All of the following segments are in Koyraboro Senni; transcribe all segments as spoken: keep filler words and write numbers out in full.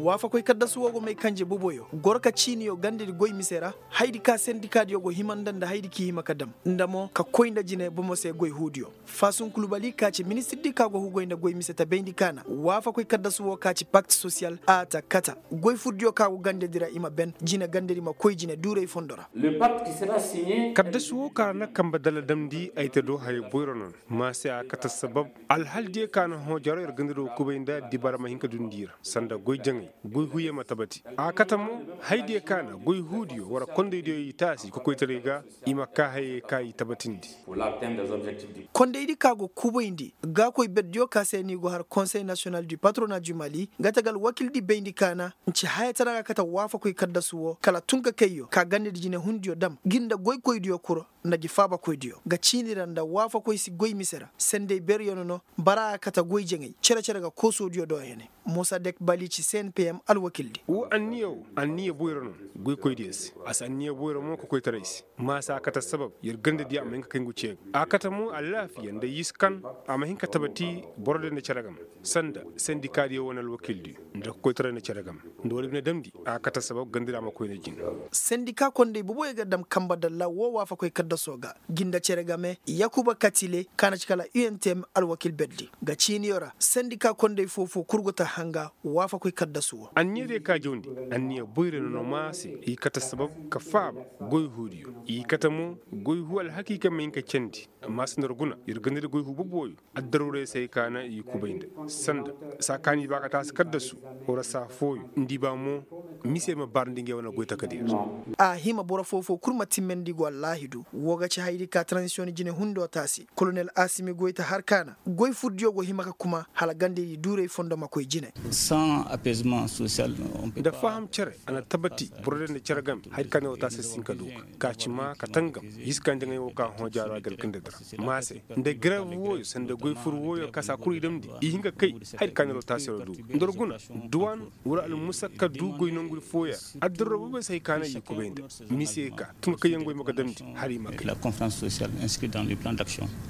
Waafakoy kaddasu woo go may kanje boboyo goro ka ciiniyo gandadi goy mise ra. Hayadi ka sendikaadiyo go hima nda nda hayadi k'i hima ka dam nda mo ka koy nda jine bomo se goy huudiyo. Faasun kulubali ka ci ministirdi ka go hugoy nda goy mise ta bayndi ka na waafakoy kaddasu woo ka ci pakt sosiyal a ta kata goy furdiyo ka go gandadi ra i ma ben jine gandadi ma koy jine duuray fondo ra. Kaddasu woo ka ra na kambe dalla damndi ay ta do haya boyro no. Maa se a kate sabab alhaldiyo ka na hõ jaro yer gandadi woo kubay nda dibara ma hin ka dundi i ra sanda goy jaŋay goy huuyo ma tabati. A kate mo hayadiyo ka na goy huudiyo war kondaydiyo i taasi kokoytaray ga i ma kaa hayey ka i tabatindi. Kondaydi ka go kubayndi gaakoy berdiyo ka se ni go har konsey nasiyonal du patrona du mali nga tagal wakildi bayndi ka na nci hayatara ga kate waafakoy kaddasu woo kala tunkakayyo ka gandadi jinehundiyo dam gi nda goykoydiyo kuro nda gi faabakoydiyo ga ciini ra nda waafakoy si goy mise ra sendey beryo no no. Bara a kate goy jaŋay cere-cere ga koosoodiyo do hene. Musa dek bali ci cnpm alwakildi. Woo anniya woo anniya boyro no goykoydiyo se. A si anniya boyro mo kokoytaray se. Maa se a kate sabab yer gandadiyo a ma hin ka kay ngu cee ga a kate mo alaafiya nda yiskan a ma hin ka tabati borodiyo nda cere game sanda sendikaadiyo wane alwakildiyo nda kokoytaray nda cere game nda war bine damndi a kate sabab gandadiyo a ma koy nda jine. Sendika kondey boboyo ga dam kambe dalla woo waafakoy kaddasoo ga gi nda cere game yakuba katile ka na ci kala untm alwakil berdi ga ciiniyo ra sendika kondey foo-foo kul go ta hanga waafakoy kaddasu woo. Anniyadiyo ka jawndi anniya boyre no no maa se i kate sabab ka faaba goy huudiyo i kate mo goy huu alhakiika ma hin ka candi. Maa se nda war guna yer gandadi goy huu boboyo addaruuray se hay ka na i kubay nda sanda saa kaani ba ka taasi kaddasu wara saa fooyo nda i ba mo mise ma bar nda ngey wane goy takadiyo. A hima boro foo-foo kul ma timmandi go allaahidu woo ga ci hayadi ka taranzisiyoŋ jinehundoo taasi kolonel asimi goy ta har ka na goy furdiyo go hima ka kuma hala gandadi duuray fondo ma koy jine. Nda faham cere a na tabati borodiyo nda cere game hay ka ne woo taasi si hin ka duu ka ka ci maa ka tangam. Yiska njaŋay woo ka hõ jaaro a galgandadi ra maa se nda gareev wooyo sanda goy fur wooyo ka saa kul i damndi i hin ka kay. Hay ka ne woo taasi ra duu nda war guna duwaan wala almusakka duu goy nongudi fooya. Addarro boobey se hay ka ne i kubay nda mise ka tun ka kayangoy ma ga damndi hala i ma kay.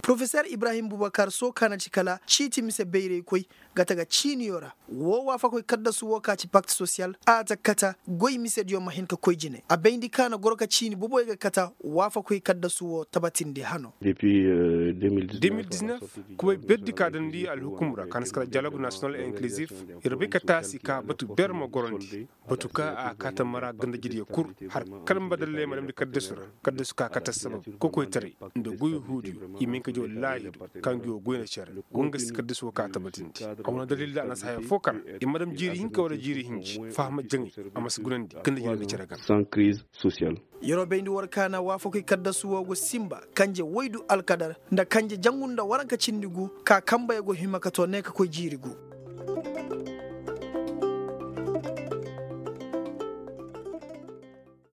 Porofesor ibrahim bubakar soo ka na ci kala ciiti mise bayraykoy ga ta ga ciiniyo ra. Woo waafakoy kaddasu woo ka ci pakt sosiyal a ta kata goy misediyo ma hin ka koy jine a bayndi ka na goro ka ciini boboyo ga kata waafakoy kaddasu woo tabatindi hano. Demil diznef kubay berdi ka damndi alhukum ra ka na si kala diyalog nasiyonal inkilizif. Yer bay ka taasi ka batu ber ma gorondi batu ka a kaata mara gandajediyo kul har kala ma badalley ma damndi kaddasu ra. Kaddasu ka kate sabab kokoytaray nda goy huudiyo i ma hin ka jaw laahidu ka ngi woo goy nda cere. Woo nga si kaddasu woo ka tabatindi a wane dalil da a na si haya foo ka na i ma dam jiiri hinka wala jiiri hinji fahama jaŋay a ma si gunandi gandajediyo nda cere game. Yeroo bayndi war ka na waafakoy kaddasu woo go sinba kanje woydu alkadar nda kanje jangu nda waranka cindi gu ka kambeyo go hima ka too ne ka koy jiiri gu.